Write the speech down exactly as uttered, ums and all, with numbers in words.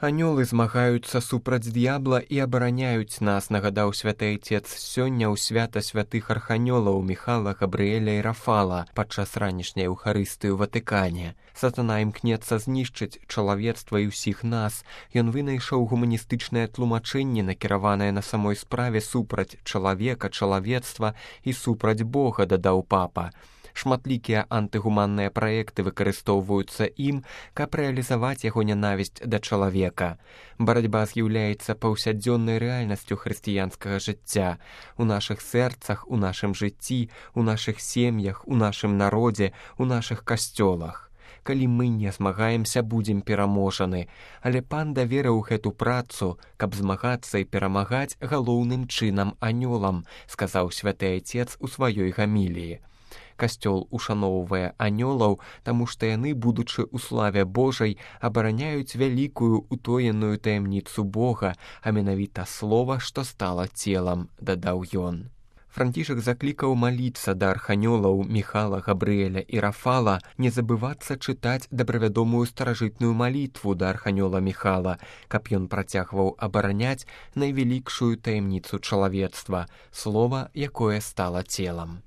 Анёлы змагаюцца супраць д'ябла і абараняюць нас, нагадаў святы Айцец сёння ў свята святых арханёлаў Міхала, Габрыэля і Рафала падчас ранішняй Еўхарыстыі ў Ватыкане. Сатана імкнецца знішчыць чалавецтва і ўсіх нас. Ён вынайшоў гуманістычнае тлумачэнне, накіраванае на самой справе супраць чалавека, чалавецтва і супраць Бога, дадаў папа. Шматлікія антыгуманныя праекты выкарыстоўваюцца ім, каб рэалізаваць яго нянавісць да чалавека. Барацьба з'яўляецца паўсядзённай рэальнасцю хрысціянскага жыцця. У нашых сэрцах, у нашым жыцці, у нашых сем'ях, у нашым народзе, у нашых касцёлах. Калі мы не змагаемся, будзем пераможаны. Але пан даверыў гэту працу, каб змагацца і перамагаць галоўным чынам анёлам, сказаў святы Айцец у сваёй гаміліі. Касцёл ушаноўвае анёлаў, таму што яны, будучы ў славе Божай, абараняюць вялікую утоеную таямніцу Бога, а менавіта слова, што стала целам, дадаў ён. Францішак заклікаў маліцца да арханёлаў Міхала, Габрыэля і Рафала, не забывацца чытаць дабравядомую старажытную малітву да арханёла Міхала, каб ён працягваў абараняць найвялікшую таямніцу чалавецтва, слова, якое стала целам.